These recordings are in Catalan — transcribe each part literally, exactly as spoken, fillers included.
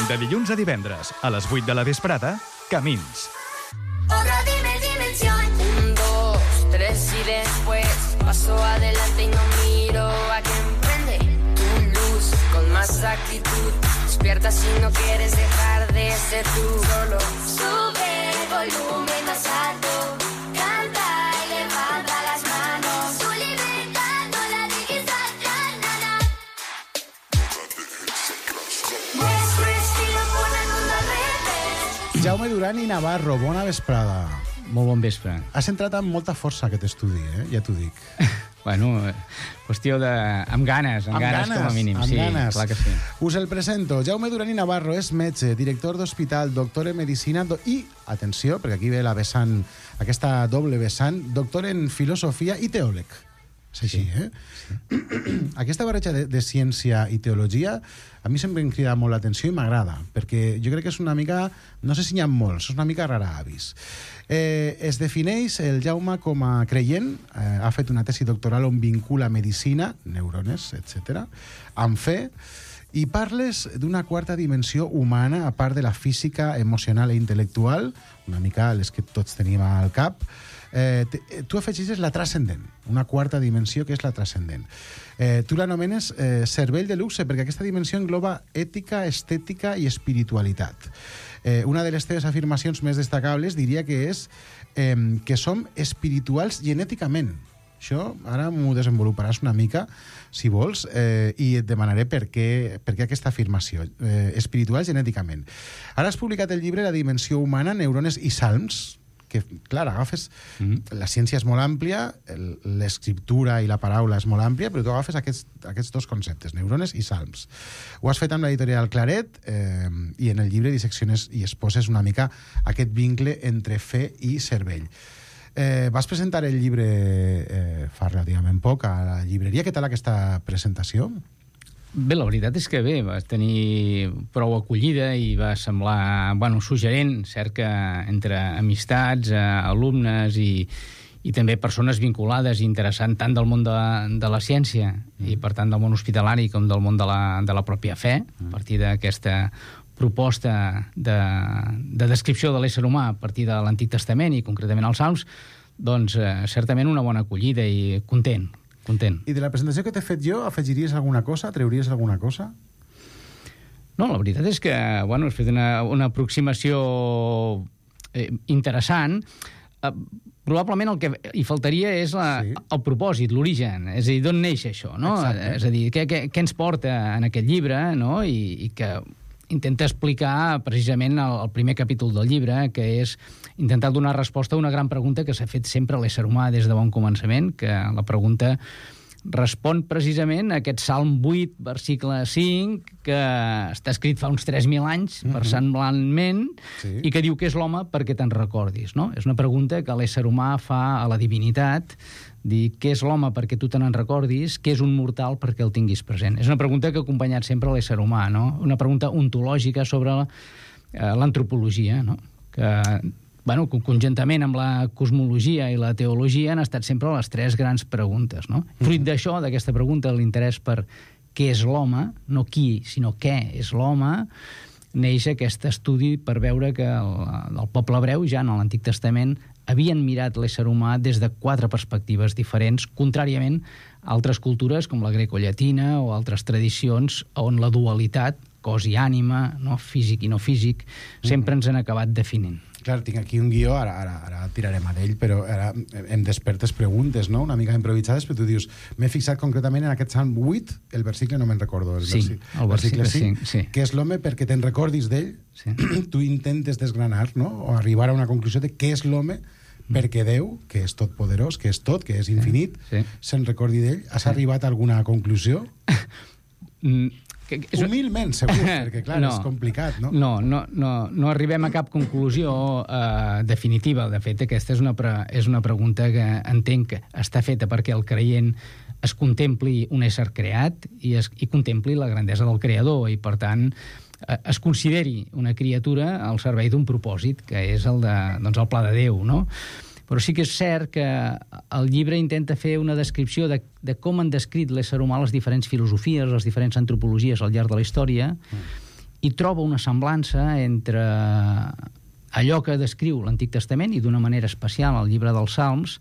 De dilluns a divendres, a les vuit de la vesprada, Camins. Otra dimensión. Un, dos, tres y después paso adelante y no miro a quien prende tu luz con más actitud. Despierta si no quieres dejar de ser tú. Solo sube el volumen más alto. Canta y levanta las manos. Tu libertad no la dejes atrás, nada. Nuestro estilo pone el mundo al revés. Jaume Duran i Navarro, bona vesprada. Molt bon vespre. Has entrat amb molta força aquest estudi, eh? Ja t'ho dic. Bueno, qüestió de... amb ganes, amb, Amb ganes, ganes, com a mínim. amb Sí, ganes. clar que sí. Us el presento. Jaume Duran i Navarro és metge, director d'hospital, doctor en medicina do... i, atenció, perquè aquí ve la vessant, aquesta doble vessant, doctor en filosofia i teòleg. És així, Sí. eh? Sí. Aquesta barreja de, de ciència i teologia a mi sempre em crida molt l'atenció i m'agrada, perquè jo crec que és una mica, no sé si n'hi ha molts, és una mica rara avis. Eh, es defineix el Jaume com a creient, eh, ha fet una tesi doctoral on vincula medicina, neurones, etcètera, amb fe, i parles d'una quarta dimensió humana, a part de la física, emocional i intel·lectual, una mica les que tots tenim al cap. Eh, te, tu afegeixes la transcendent, una quarta dimensió que és la transcendent. Eh, tu l'anomenes eh, cervell de luxe, perquè aquesta dimensió engloba ètica, estètica i espiritualitat. Eh, una de les teves afirmacions més destacables diria que és eh, que som espirituals genèticament. Això ara m'ho desenvoluparàs una mica, si vols, eh, i et demanaré per què, per què aquesta afirmació. Eh, espirituals genèticament. Ara has publicat el llibre La dimensió humana, neurones i salms, que, clar, agafes... Mm-hmm. La ciència és molt àmplia, l'escriptura i la paraula és molt àmplia, però tu agafes aquests, aquests dos conceptes, neurones i salms. Ho has fet amb l'editorial Claret, eh, i en el llibre dissecciones i exposes una mica aquest vincle entre fe i cervell. Eh, vas presentar el llibre eh, fa relativament poc a la llibreria. Què tal aquesta presentació? Bé, la veritat és que bé, va tenir prou acollida i va semblar, bueno, suggerent, cert que entre amistats, eh, alumnes i, i també persones vinculades i interessant tant del món de, de la ciència mm. i per tant del món hospitalari com del món de la, de la pròpia fe, mm. a partir d'aquesta proposta de, de descripció de l'ésser humà a partir de l'Antic Testament i concretament els Salms, doncs eh, certament una bona acollida i content. Content. I de la presentació que t'he fet jo, afegiries alguna cosa? Treuries alguna cosa? No, la veritat és que, bueno, has fet una, una aproximació eh, interessant. Eh, probablement el que hi faltaria és la, sí. el propòsit, l'origen, és a dir, d'on neix això, no? Exacte. És a dir, què, què, què ens porta en aquest llibre, no? I, i que intenta explicar precisament el, el primer capítol del llibre, que és intentar donar resposta a una gran pregunta que s'ha fet sempre a l'ésser humà des de bon començament, que la pregunta respon precisament a aquest Salm vuit, versicle cinc, que està escrit fa uns tres mil anys, mm-hmm. versemblantment, sí. i que diu que és l'home perquè te'n recordis, no? És una pregunta que l'ésser humà fa a la divinitat, dir què és l'home perquè tu te n'en recordis, què és un mortal perquè el tinguis present. És una pregunta que ha acompanyat sempre l'ésser humà, no? Una pregunta ontològica sobre eh, l'antropologia, no? Que, bueno, conjuntament amb la cosmologia i la teologia han estat sempre les tres grans preguntes, no? Mm-hmm. Fruit d'això, d'aquesta pregunta, l'interès per què és l'home, no qui, sinó què és l'home, neix aquest estudi per veure que el, el poble hebreu, ja en l'Antic Testament, havien mirat l'ésser humà des de quatre perspectives diferents, contràriament a altres cultures com la grecollatina o altres tradicions on la dualitat, cos i ànima, no? Físic i no físic, sempre ens han acabat definint. Clar, tinc aquí un guió, ara, ara, ara tirarem a d'ell, però ara em despertes preguntes, no?, una mica improvisades, però tu dius, m'he fixat concretament en aquest Salm vuit, el versicle no me'n recordo, el, sí, versi, el versicle cinc, sí. que és l'home perquè te'n recordis d'ell, sí. Tu intentes desgranar, no?, o arribar a una conclusió de què és l'home perquè Déu, que és tot poderós, que és tot, que és infinit, sí, sí. se'n recordi d'ell. Has sí. arribat a alguna conclusió? Mm. Que és... Humilment, segur, perquè clar, no, és complicat, no? No, no, no, no arribem a cap conclusió eh, definitiva. De fet, aquesta és una, pre és una pregunta que entenc que està feta perquè el creient es contempli un ésser creat i, es, i contempli la grandesa del creador i, per tant, eh, es consideri una criatura al servei d'un propòsit, que és el, de, doncs, el pla de Déu, no? Però sí que és cert que el llibre intenta fer una descripció de, de com han descrit l'ésser humà les diferents filosofies, les diferents antropologies al llarg de la història, mm. i troba una semblança entre allò que descriu l'Antic Testament, i d'una manera especial al llibre dels Salms,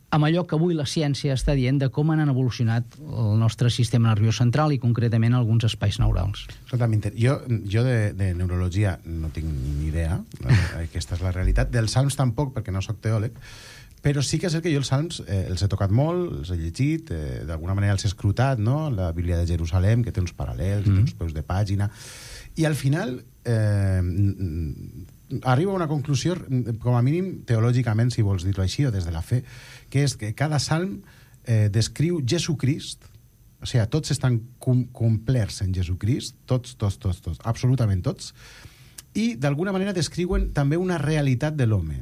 amb allò que avui la ciència està dient de com han evolucionat el nostre sistema nerviós central i concretament alguns espais neurals. Totalment. Jo, jo de, de neurologia no tinc ni idea, aquesta és la realitat. Dels Salms tampoc, perquè no sóc teòleg, però sí que és cert que jo els Salms eh, els he tocat molt, els he llegit, eh, d'alguna manera els he escrutat, no? La Bíblia de Jerusalem, que té uns paral·lels, mm. té uns peus de pàgina, i al final eh, arriba a una conclusió, com a mínim teològicament, si vols dir-ho així, o des de la fe, que és que cada salm eh, descriu Jesucrist, o sigui, tots estan com, complerts en Jesucrist, tots, tots, tots, tots, absolutament tots, i d'alguna manera descriuen també una realitat de l'home,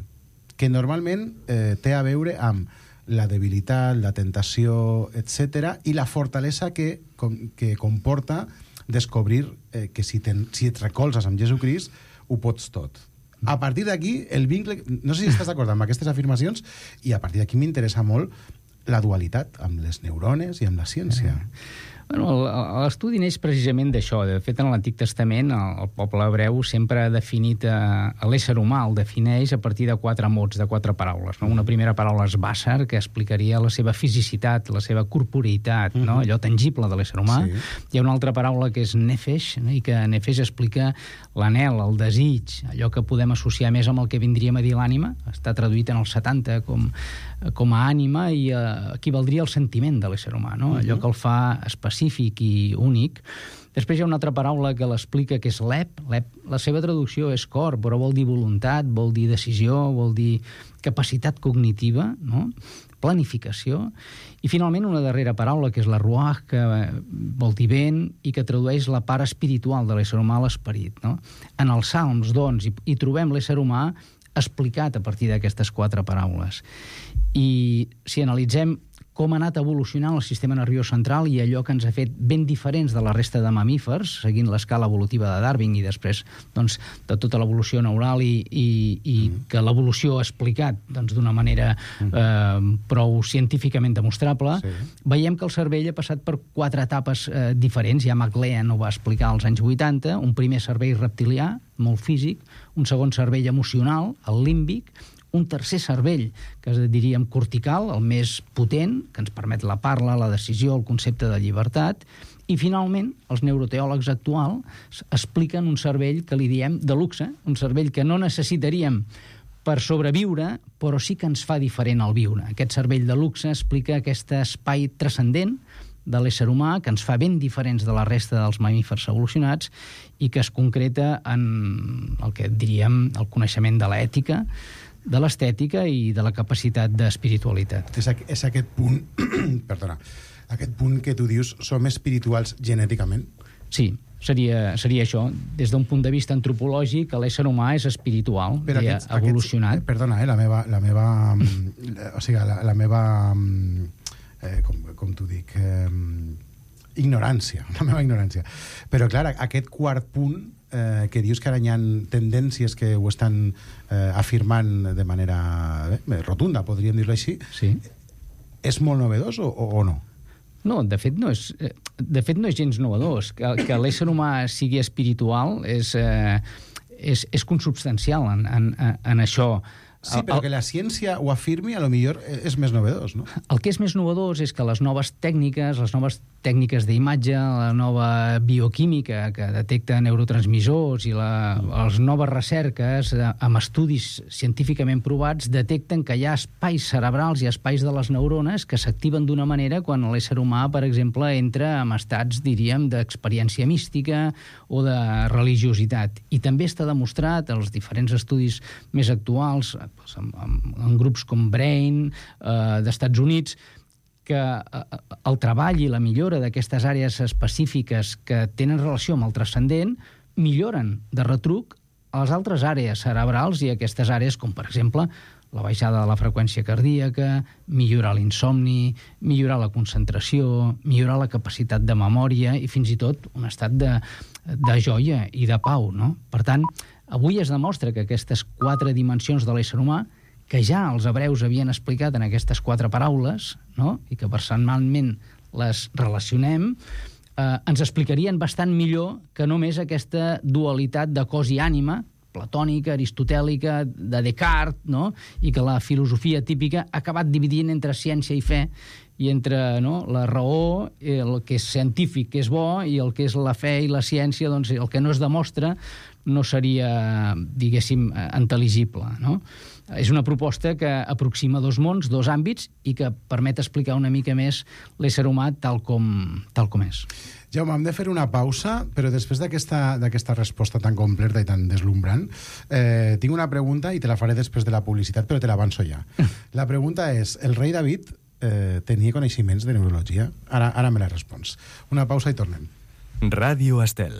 que normalment eh, té a veure amb la debilitat, la tentació, etcètera, i la fortalesa que, com, que comporta descobrir eh, que si, ten, si et recolzes amb Jesucrist, ho pots tot. A partir d'aquí, el vincle... No sé si estàs d'acord amb aquestes afirmacions, i a partir d'aquí m'interessa molt la dualitat amb les neurones i amb la ciència. Bueno, l'estudi neix precisament d'això. De fet, en l'Antic Testament, el poble hebreu sempre ha definit a l'ésser humà, el defineix a partir de quatre mots, de quatre paraules. No? Una primera paraula és bàsser, que explicaria la seva fisicitat, la seva corporeitat, no? Allò tangible de l'ésser humà. Sí. Hi ha una altra paraula que és nefesh, no? I que nefesh explica l'anhel, el desig, allò que podem associar més amb el que vindríem a dir l'ànima. Està traduït en els setanta com, com a ànima, i eh, equivaldria al sentiment de l'ésser humà, no? Allò que el fa específic específic i únic. Després hi ha una altra paraula que l'explica, que és l'ep. L'ep, la seva traducció és cor, però vol dir voluntat, vol dir decisió, vol dir capacitat cognitiva, no? Planificació. I finalment una darrera paraula, que és la ruach, que vol dir vent i que tradueix la part espiritual de l'ésser humà, l'esperit, no? En els Salms, doncs, hi, hi trobem l'ésser humà explicat a partir d'aquestes quatre paraules. I si analitzem com ha anat evolucionant el sistema nerviós central i allò que ens ha fet ben diferents de la resta de mamífers, seguint l'escala evolutiva de Darwin i després doncs, de tota l'evolució neural i, i, i mm. que l'evolució ha explicat doncs, d'una manera mm. eh, prou científicament demostrable, sí. Veiem que el cervell ha passat per quatre etapes eh, diferents. Ja MacLean ho va explicar als anys vuitanta, un primer cervell reptilià, molt físic, un segon cervell emocional, el límbic, un tercer cervell, que diríem cortical, el més potent, que ens permet la parla, la decisió, el concepte de llibertat, i finalment els neuroteòlegs actuals expliquen un cervell que li diem de luxe, un cervell que no necessitaríem per sobreviure, però sí que ens fa diferent al viure. Aquest cervell de luxe explica aquest espai transcendent de l'ésser humà, que ens fa ben diferents de la resta dels mamífers evolucionats i que es concreta en el que diríem el coneixement de l'ètica, de l'estètica i de la capacitat d'espiritualitat. És, és aquest punt, perdona, aquest punt que tu dius, som espirituals genèticament? Sí, seria, seria això. Des d'un punt de vista antropològic, l'ésser humà és espiritual, i ha evolucionat. Aquests, perdona, eh, la meva... La meva o sigui, la, la meva... Eh, com, com t'ho dic... Eh, ignorància, la meva ignorància. Però, clar, aquest quart punt eh, que dius que ara hi ha tendències que ho estan eh, afirmant de manera eh, rotunda, podríem dir-ho així, sí. És molt novedós o, o, o no? No, de fet no és, de fet no és gens novedós. Que, que l'ésser humà sigui espiritual és, eh, és, és consubstancial en, en, en això. Sí, però que la ciència ho afirmi, a lo millor és més novedós, no? El que és més novedós és que les noves tècniques, les noves tècniques d'imatge, la nova bioquímica que detecta neurotransmissors i la, les noves recerques amb estudis científicament provats detecten que hi ha espais cerebrals i espais de les neurones que s'activen d'una manera quan l'ésser humà, per exemple, entra en estats, diríem, d'experiència mística o de religiositat. I també està demostrat als diferents estudis més actuals, en, en, en grups com Brain, eh, d'Estats Units, que el treball i la millora d'aquestes àrees específiques que tenen relació amb el transcendent milloren de retruc a les altres àrees cerebrals i aquestes àrees com, per exemple, la baixada de la freqüència cardíaca, millorar l'insomni, millorar la concentració, millorar la capacitat de memòria i fins i tot un estat de, de joia i de pau, no? Per tant, avui es demostra que aquestes quatre dimensions de l'ésser humà, que ja els hebreus havien explicat en aquestes quatre paraules, no? I que personalment les relacionem, eh, ens explicarien bastant millor que només aquesta dualitat de cos i ànima, platònica, aristotèlica, de Descartes, no? I que la filosofia típica ha acabat dividint entre ciència i fe, i entre, no, la raó, el que és científic, que és bo, i el que és la fe i la ciència, doncs el que no es demostra no seria, diguéssim, intel·ligible, no? És una proposta que aproxima dos mons, dos àmbits, i que permet explicar una mica més l'ésser humà tal com, tal com és. Jaume, hem de fer una pausa, però després d'aquesta resposta tan completa i tan deslumbrant, eh, tinc una pregunta i te la faré després de la publicitat, però te l'avanço ja. La pregunta és, el rei David eh, tenia coneixements de neurologia? Ara, ara me la respons. Una pausa i tornem. Ràdio Estel.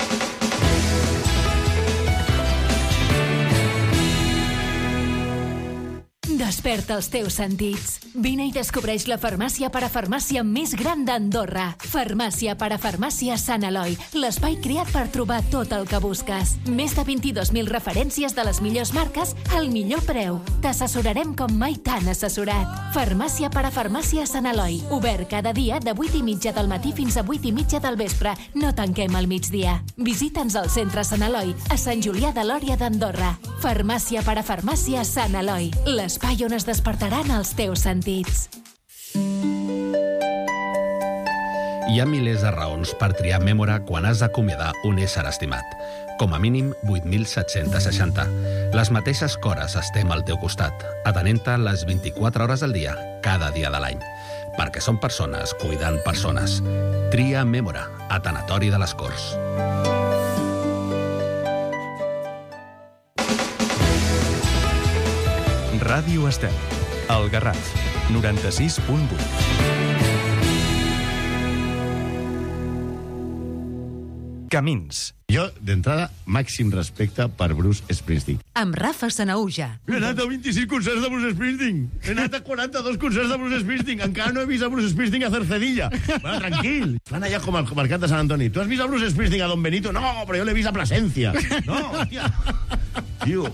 Desperta els teus sentits. Vine i descobreix la farmàcia parafarmàcia més gran d'Andorra. Farmàcia parafarmàcia Sant Eloi, l'espai creat per trobar tot el que busques. Més de vint-i-dos mil referències de les millors marques al millor preu. T'assessorarem com mai t'han assessorat. Farmàcia parafarmàcia Sant Eloi, obert cada dia de vuit i mitja del matí fins a vuit i mitja del vespre. No tanquem al migdia. Visita'ns al centre Sant Eloi, a Sant Julià de Lòria d'Andorra. Farmàcia parafarmàcia Sant Eloi, l'espai on es despertaran els teus sentits. Hi ha milers de raons per triar Mémora quan has d'acomiadar un ésser estimat. Com a mínim vuit mil set-cents seixanta. Les mateixes cores estem al teu costat, atenent-te les vint-i-quatre hores del dia, cada dia de l'any. Perquè som persones cuidant persones. Tria Mémora, a Tanatori de les Corts. Ràdio Estel, el Garraf, noranta-sis punt vuit. Camins. Jo, d'entrada, màxim respecte per Bruce Springsteen. Amb Rafa Sanauja. He anat a vint-i-sis concerts de Bruce Springsteen. He anat a quaranta-dos concerts de Bruce Springsteen. Encara no he vist a Bruce Springsteen a Cercedilla. Bueno, tranquil. Van allà com al mercat de Sant Antoni. Tu has vist a Bruce Springsteen a Don Benito? No, però jo l'he vist a Plasencia. No, hòstia. Tio.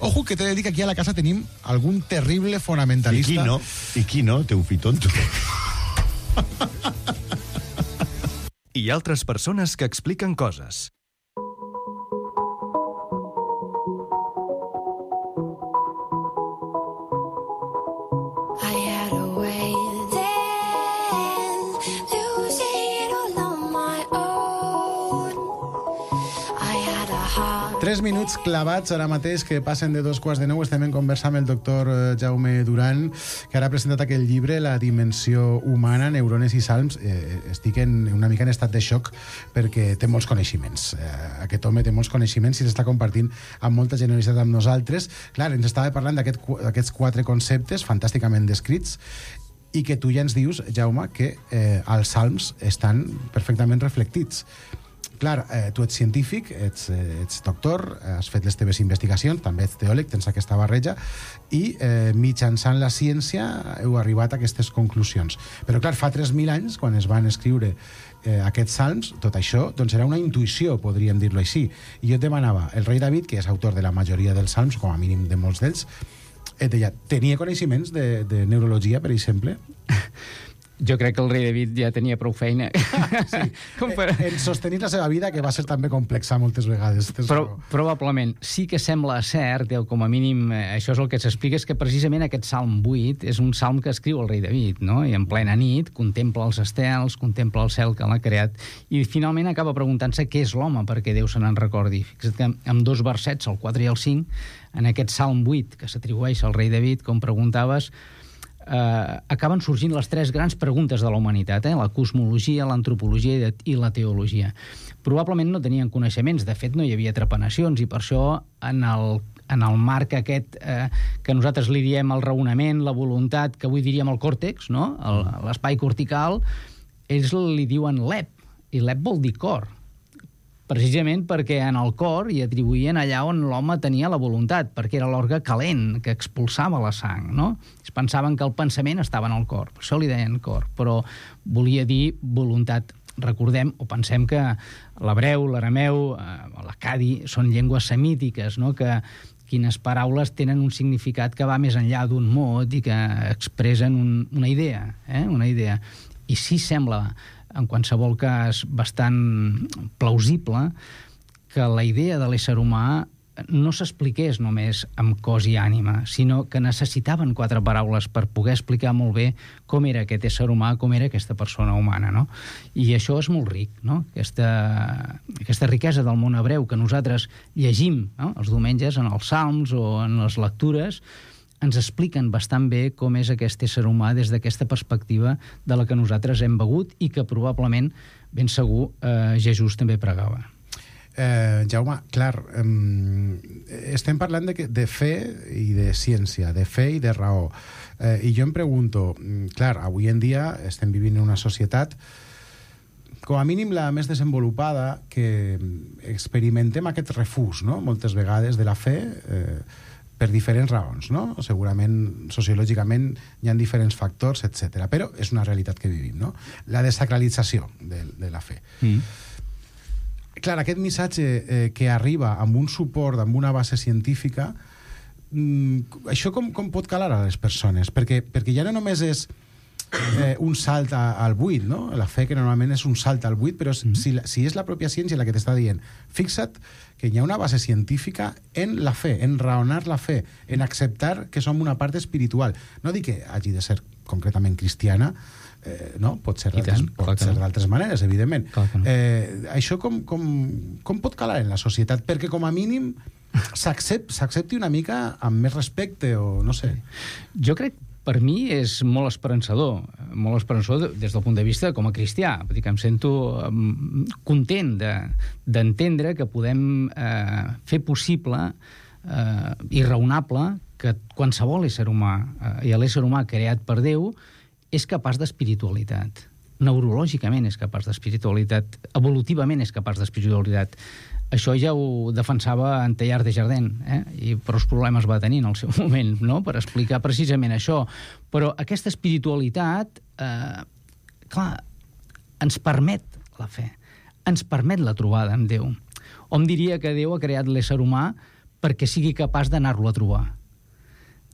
Ojo, que t'he de dir que aquí a la casa tenim algun terrible fonamentalista. I qui no? I qui no? Teu fill tonto. I altres persones que expliquen coses. I had a way then, losing it all on my own. I had a heart. Tres minuts clavats ara mateix que passen de dos quarts de nou. Estem en conversa amb el doctor Jaume Duran, que ara ha presentat aquell llibre, La dimensió humana, neurones i salms. Eh, estic en, una mica en estat de xoc perquè té molts coneixements. Eh, aquest home té molts coneixements i s'està compartint amb molta generositat amb nosaltres. Clar, ens estava parlant d'aquests aquest, quatre conceptes fantàsticament descrits i que tu ja ens dius, Jaume, que eh, els salms estan perfectament reflectits. Clar, eh, tu ets científic, ets, eh, ets doctor, has fet les teves investigacions, també ets teòleg, tens aquesta barreja, i eh, mitjançant la ciència heu arribat a aquestes conclusions. Però clar, fa tres mil anys, quan es van escriure eh, aquests salms, tot això doncs era una intuïció, podríem dir-lo així. I jo et demanava, el rei David, que és autor de la majoria dels salms, com a mínim de molts d'ells, et deia, tenia coneixements de, de neurologia, per exemple? Jo crec que el rei David ja tenia prou feina. Sí. Com per... En sostenir la seva vida, que va ser també complexa moltes vegades. Però, probablement. Sí que sembla cert, o com a mínim això és el que s'explica, és que precisament aquest Salm vuit és un salm que escriu el rei David, no? I en plena nit contempla els estels, contempla el cel que l'ha creat, i finalment acaba preguntant-se què és l'home perquè Déu se n'en recordi. Fixa't que amb dos versets, el quatre i el cinc, en aquest Salm vuit que s'atribueix al rei David, com preguntaves, Uh, acaben sorgint les tres grans preguntes de la humanitat, eh? La cosmologia, l'antropologia i la teologia. Probablement no tenien coneixements, de fet no hi havia trepanacions, i per això en el, en el marc aquest eh, que nosaltres li diem el raonament, la voluntat, que avui diríem el còrtex, no? L'espai cortical, ells li diuen l'ep, i l'ep vol dir cor, precisament perquè en el cor hi atribuïen allà on l'home tenia la voluntat, perquè era l'òrgan calent que expulsava la sang, no? Es pensaven que el pensament estava en el cor, per això li deien cor, però volia dir voluntat. Recordem, o pensem que l'hebreu, l'arameu, eh, l'acadi són llengües semítiques, no? Que quines paraules tenen un significat que va més enllà d'un mot i que expressen un, una idea, eh? Una idea. I sí sembla en qualsevol cas bastant plausible, que la idea de l'ésser humà no s'expliqués només amb cos i ànima, sinó que necessitaven quatre paraules per poder explicar molt bé com era aquest ésser humà, com era aquesta persona humana, no? I això és molt ric, no? Aquesta, aquesta riquesa del món hebreu que nosaltres llegim, no?, els diumenges en els salms o en les lectures, ens expliquen bastant bé com és aquest ésser humà des d'aquesta perspectiva de la que nosaltres hem begut i que probablement, ben segur, eh, Jesús també pregava. Eh, Jaume, clar, eh, estem parlant de, de fe i de ciència, de fe i de raó. Eh, I jo em pregunto, clar, avui en dia estem vivint en una societat com a mínim la més desenvolupada, que experimentem aquest refús, no?, moltes vegades de la fe, eh, per diferents raons, no? Segurament, sociològicament, hi ha diferents factors, etcètera. Però és una realitat que vivim, no? La desacralització de, de la fe. Mm. Clar, aquest missatge eh, que arriba amb un suport, amb una base científica, mm, això com, com pot calar a les persones? Perquè, perquè ja no només és eh, un salt a, al buit, no? La fe, que normalment és un salt al buit, però mm-hmm. si, si és la pròpia ciència la que t'està dient, fixa't que hi ha una base científica en la fe, en raonar la fe, en acceptar que som una part espiritual. No dic que hagi de ser concretament cristiana, Eh, no? Pot ser d'altres no. maneres, evidentment. No. Eh, això com, com, com pot calar en la societat? Perquè com a mínim s'accepti una mica amb més respecte o no sé. Jo crec, per mi, és molt esperançador, molt esperançador des del punt de vista com a cristià. Vull dir que em sento um, content d'entendre de, que podem eh, fer possible eh, i raonable que qualsevol ésser humà eh, i l'ésser humà creat per Déu és capaç d'espiritualitat. Neurològicament és capaç d'espiritualitat. Evolutivament és capaç d'espiritualitat. Això ja ho defensava en Teilhard de Chardin, eh? I prou problemes va tenir en el seu moment, no?, per explicar precisament això. Però aquesta espiritualitat, eh, clar, ens permet la fe, ens permet la trobada amb Déu. Hom diria que Déu ha creat l'ésser humà perquè sigui capaç d'anar-lo a trobar.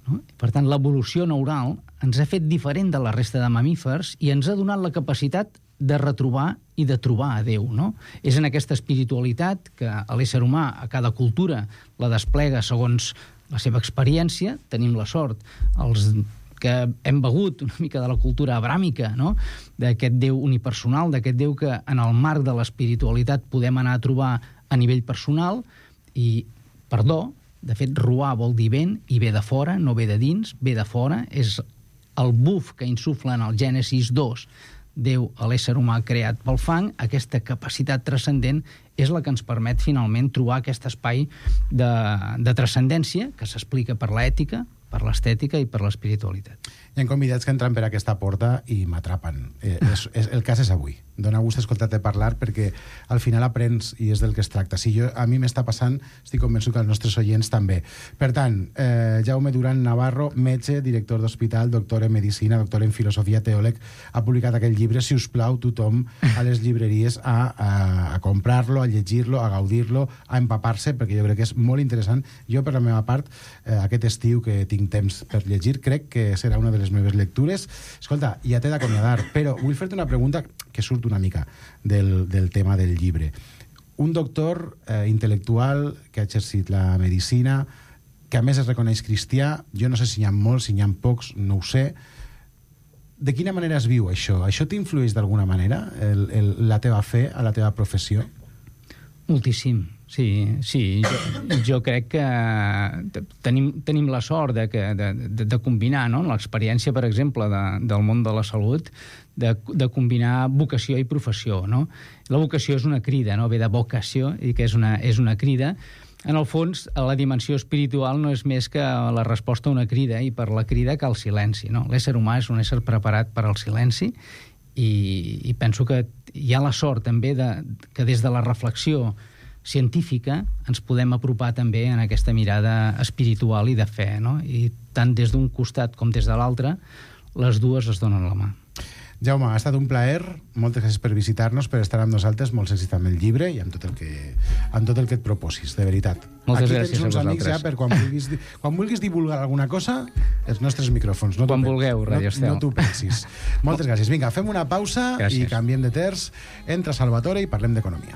No? Per tant, l'evolució neural ens ha fet diferent de la resta de mamífers i ens ha donat la capacitat de retrobar i de trobar a Déu, no? És en aquesta espiritualitat que l'ésser humà a cada cultura la desplega segons la seva experiència. Tenim la sort, els que hem begut una mica de la cultura abràmica, no?, d'aquest Déu unipersonal, d'aquest Déu que en el marc de l'espiritualitat podem anar a trobar a nivell personal. I, perdó, de fet, ruar vol dir vent, i ve de fora, no ve de dins, ve de fora. És el buf que insufla en el Gènesis dos, Déu a l'ésser humà creat pel fang. Aquesta capacitat transcendent és la que ens permet finalment trobar aquest espai de, de transcendència que s'explica per l'ètica, per l'estètica i per l'espiritualitat. Hi ha convidats que entren per aquesta porta i m'atrapen. Eh, és, és, el cas és avui. Dóna gust escoltar-te parlar perquè al final aprens i és del que es tracta. Si jo, a mi m'està passant, estic convençut que els nostres oients també. Per tant, eh, Jaume Duran Navarro, metge, director d'hospital, doctor en medicina, doctor en filosofia, teòleg, ha publicat aquell llibre. Si us plau, tothom a les llibreries a, a, a comprar-lo, a llegir-lo, a gaudir-lo, a empapar-se, perquè jo crec que és molt interessant. Jo, per la meva part, eh, aquest estiu que tinc temps per llegir, crec que serà una de les meves lectures. Escolta, ja t'he d'acomiadar, però vull fer-te una pregunta que surt una mica del, del tema del llibre. Un doctor eh, intel·lectual que ha exercit la medicina, que a més es reconeix cristià, jo no sé si n'hi ha molts, si n'hi ha pocs, no ho sé. De quina manera es viu això? Això t'influeix d'alguna manera, el, el, la teva fe a la teva professió? Moltíssim, sí. sí. Jo, jo crec que tenim, tenim la sort de, que, de, de, de combinar, no?, l'experiència, per exemple, de, del món de la salut, de, de combinar vocació i professió, no? La vocació és una crida, no?, ve de vocació, i que és una, és una crida. En el fons, la dimensió espiritual no és més que la resposta a una crida, i per la crida cal silenci, no? L'ésser humà és un ésser preparat per al silenci, i, i penso que hi ha la sort també de, que des de la reflexió científica ens podem apropar també en aquesta mirada espiritual i de fe, no? I tant des d'un costat com des de l'altre, les dues es donen la mà. Jaume, ha estat un plaer, moltes gràcies per visitar-nos, per estar amb nosaltres, molts èxits amb el llibre i amb tot el que, amb tot el que et proposis, de veritat. Moltes Aquí gràcies tens uns a amics ja vosaltres. per quan vulguis, quan vulguis divulgar alguna cosa, els nostres micròfons. No Quan t'ho vulgueu, pensis, Radio Estel. No, no t'ho pensis. Moltes gràcies. Vinga, fem una pausa Gràcies. i canviem de terç. Entra Salvatore i parlem d'economia.